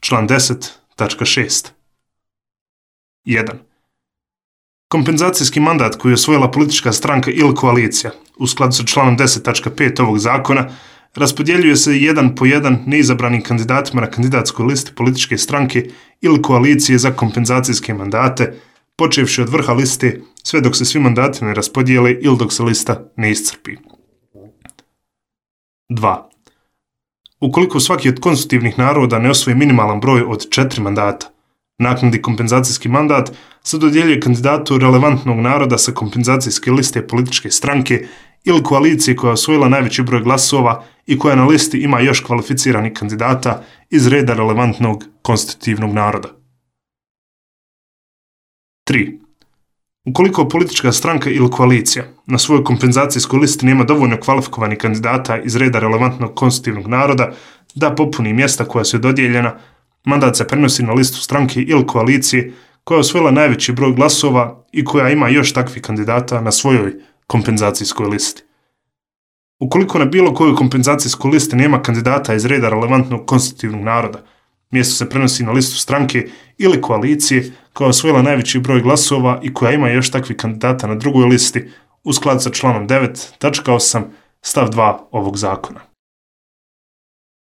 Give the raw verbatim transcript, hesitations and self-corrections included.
Član deset tačka šest. jedan. Kompenzacijski mandat koji je osvojila politička stranka ili koalicija u skladu sa članom deset tačka pet ovog zakona raspodjeljuje se jedan po jedan neizabranim kandidatima na kandidatskoj listi političke stranke ili koalicije za kompenzacijske mandate, počevši od vrha liste sve dok se svi mandati ne raspodijele ili dok se lista ne iscrpi. dva. Ukoliko svaki od konstitutivnih naroda ne osvoji minimalan broj od četiri mandata, naknadni kompenzacijski mandat se dodjeljuje kandidatu relevantnog naroda sa kompenzacijske liste političke stranke ili koalicije koja je osvojila najveći broj glasova i koja na listi ima još kvalificiranih kandidata iz reda relevantnog konstitutivnog naroda. tri. Ukoliko politička stranka ili koalicija na svojoj kompenzacijskoj listi nema dovoljno kvalifikovanih kandidata iz reda relevantnog konstitutivnog naroda da popuni mjesta koja su dodijeljena, mandat se prenosi na listu stranke ili koalicije koja je osvojila najveći broj glasova i koja ima još takvih kandidata na svojoj kompenzacijskoj listi. Ukoliko na bilo kojoj kompenzacijskoj listi nema kandidata iz reda relevantnog konstitutivnog naroda, mjesto se prenosi na listu stranke ili koalicije koja je osvojila najveći broj glasova i koja ima još takvih kandidata na drugoj listi u skladu sa članom devet tačka osam stav dva ovog zakona.